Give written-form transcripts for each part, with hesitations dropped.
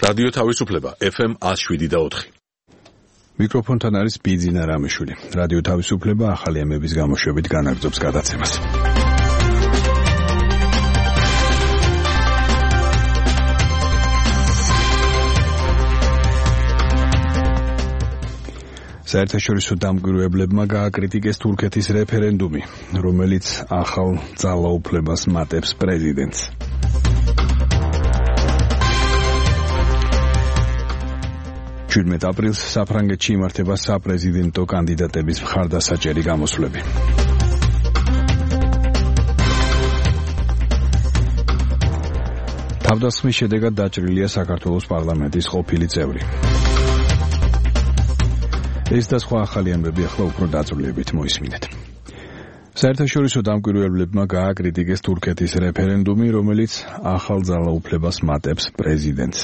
რადიო თავისუფლება FM 107.4. მიკროფონთან არის ბიძინა რამიშვილი. რადიო თავისუფლება ახალი ამების გამოშვებით განაგრძობს გადაცემას. საერთაშორისო დამკვირვებლებმა გააკრიტიკეს თურქეთის რეფერენდუმი, რომელიც ახალ ძალაუფლებას მატებს პრეზიდენტს. 17 აპრილს საფრანგეთში იმართება საპრეზიდენტო კანდიდატების მხარდასაჭერი გამოსვლები. თავდასხმის შედეგად დაჭრილია საქართველოს პარლამენტის ყოფილი წევრი. ეს და სხვა ახალი ამბები ახლა უფრო დაწვრილებით მოისმინეთ. საერთაშორისო დამკვირვებლებმა გააკრიტიკეს თურქეთის რეფერენდუმი, რომელიც ახალ ძალაუფლებას მატებს პრეზიდენტს.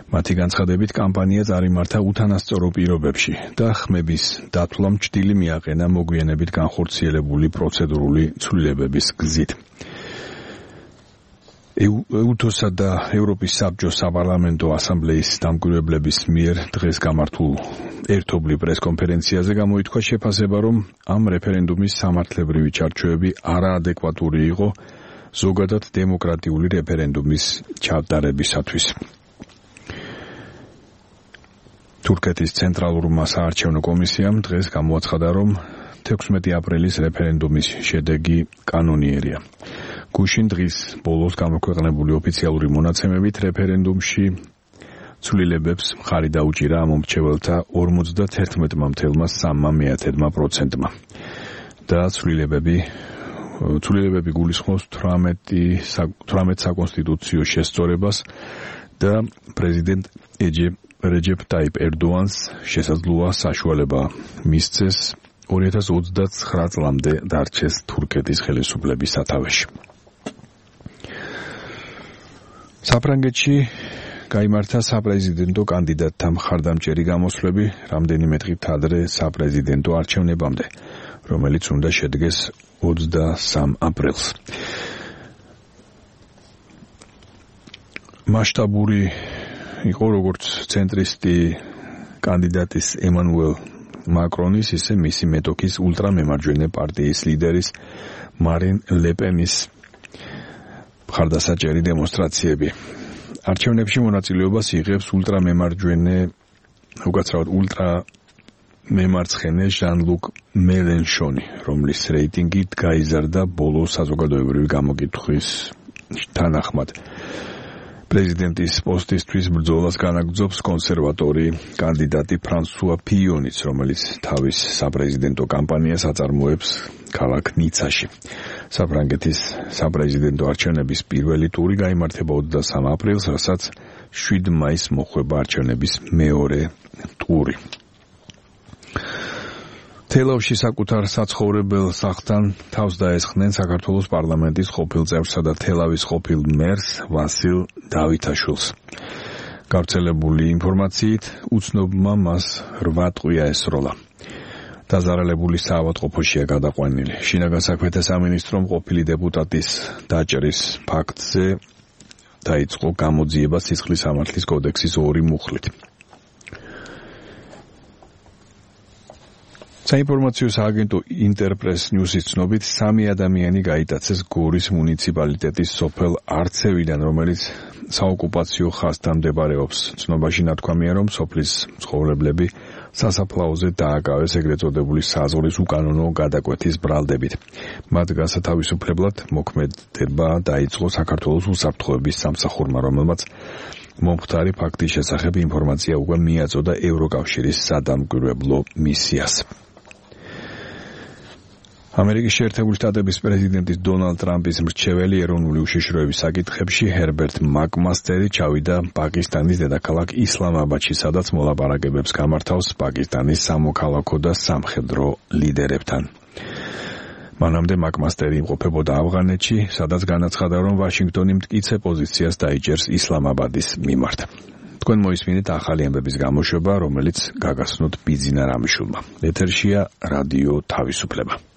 მათი განცხადებით კამპანია წარიმართა უთანასწორო პირობებში და ხმების დათვლამ ჭრილი მიაყენა მოგვიანებით განხორციელებული პროცედურული ცვლილებების გზით. ეუთოსა და ევროპის საბჭოს საპარლამენტო ასამბლეის დამკვირვებლების მიერ დღეს გამართულ ერთობლივ პრესკონფერენციაზე გამოითქვა შეფასება, რომ ამ რეფერენდუმის სამართლებრივი ჩარჩოები არაადეკვატური იყო ზოგადად დემოკრატიული რეფერენდუმის ჩატარებისათვის. თურქეთის ცენტრალურმა საარჩევნო კომისიამ დღეს გამოაცხადა, რომ 16 აპრილის რეფერენდუმის შედეგი კანონიერია. გუშინ დღის ბოლოს გამოქვეყნებული ოფიციალური მონაცემებით რეფერენდუმში ცვლილებებს მხარი დაუჭირა მომრჩეველთა 51,3%-მა და ცვლილებები გულისხმობს 18 საკონსტიტუციო შესწორებას და პრეზიდენტ რეჯეპ ტაიპ ერდოანს შესაძლოა საშუალება მისცეს 2029 წლამდე დარჩეს თურქეთის ხელისუფლების სათავეში. საფრანგეთში გაიმართა საპრეზიდენტო კანდიდატთა მხარდამჭერი გამოსვლები რამდენიმე დღით ადრე საპრეზიდენტო არჩევნებამდე, რომელიც უნდა შედგეს 23 აპრილს. მასშტაბური იყო როგორც ცენტრისტი კანდიდატის ემანუელ მაკრონის, ისე მისი მეტოქის ულტრამემარჯვენე პარტიის ლიდერის მარინ ლეპენის მხარდასაჭერი დემონსტრაციები. არჩევნებში მონაწილეობას იღებს ულტრამემარცხენე ჟან-ლუკ მელენშონი, რომლის რეიტინგი გაიზარდა ბოლო საზოგადოებრივი გამოკითხვის თანახმად. პრეზიდენტის პოსტისთვის ბრძოლას განაგრძობს კონსერვატორი კანდიდატი ფრანსუა ფიონიც, რომელიც თავის საპრეზიდენტო კამპანიას აწარმოებს ქალაქ ნიცაში. საფრანგეთის საპრეზიდენტო არჩევნების პირველი ტური გაიმართება 23 აპრილს, რასაც 7 მაისს მოხვება არჩევნების მეორე ტური. თელავში საკუთარ საცხოვრებელ სახლთან თავს დაესხნენ საქართველოს პარლამენტის ყოფილ წევრსა და თელავის ყოფილ მერს ვასილ დავითაშვილს. გავრცელებული ინფორმაციით უცნობმა მას 8 ტყვია ესროლა. დაზარალებული საავადმყოფოშია გადაყვანილი. შინაგან საქმეთა სამინისტრომ ყოფილი დეპუტატის დაჭრის ფაქტზე დაიწყო გამოძიება სისხლის სამართლის კოდექსის 2 მუხლით. საინფორმაციო სააგენტო ინტერპრეს ნიუსის ცნობით 3 ადამიანი გაიტაცეს გორის მუნიციპალიტეტის სოფელ არცევიდან, რომელიც საოკუპაციო ხაზთან მდებარეობს. ცნობაში ნათქვამია, რომ სოფლის მცხოვრებლები სასაფლაოზე დააკავეს ეგრეთ წოდებული საზღვრის უკანონო გადაკვეთის ბრალდებით. მათ გასათავისუფლებლად მოქმედება დაიწყო საქართველოს უსაფრთხოების სამსახურმა, რომელმაც მომხდარი ფაქტის შესახებ ინფორმაცია უკვე მიაწოდა ევროკავშირის სადამკვირვებლო მისიას. ამერიკის შეერთებული შტატების პრეზიდენტის დონალდ ტრამპის მრჩეველი ეროვნული უშიშროების საკითხებში ჰერბერტ მაკმასტერი ჩავიდა პაკისტანის დედაქალაქ ისლამაბადში, სადაც მოლაპარაკებებს გამართავს პაკისტანის სამოქალაქო და სამხედრო ლიდერებთან. მანამდე მაკმასტერი იმყოფებოდა ავღანეთში, სადაც განაცხადა, რომ ვაშინგტონი მტკიცე პოზიციას დაიჭერს ისლამაბადის მიმართ. თქვენ მოისმინეთ ახალი ამბების გამოშვება, რომელიც გაგაცნოთ ბიძინა რამიშვილმა. ეთერშია რადიო თავისუფლება.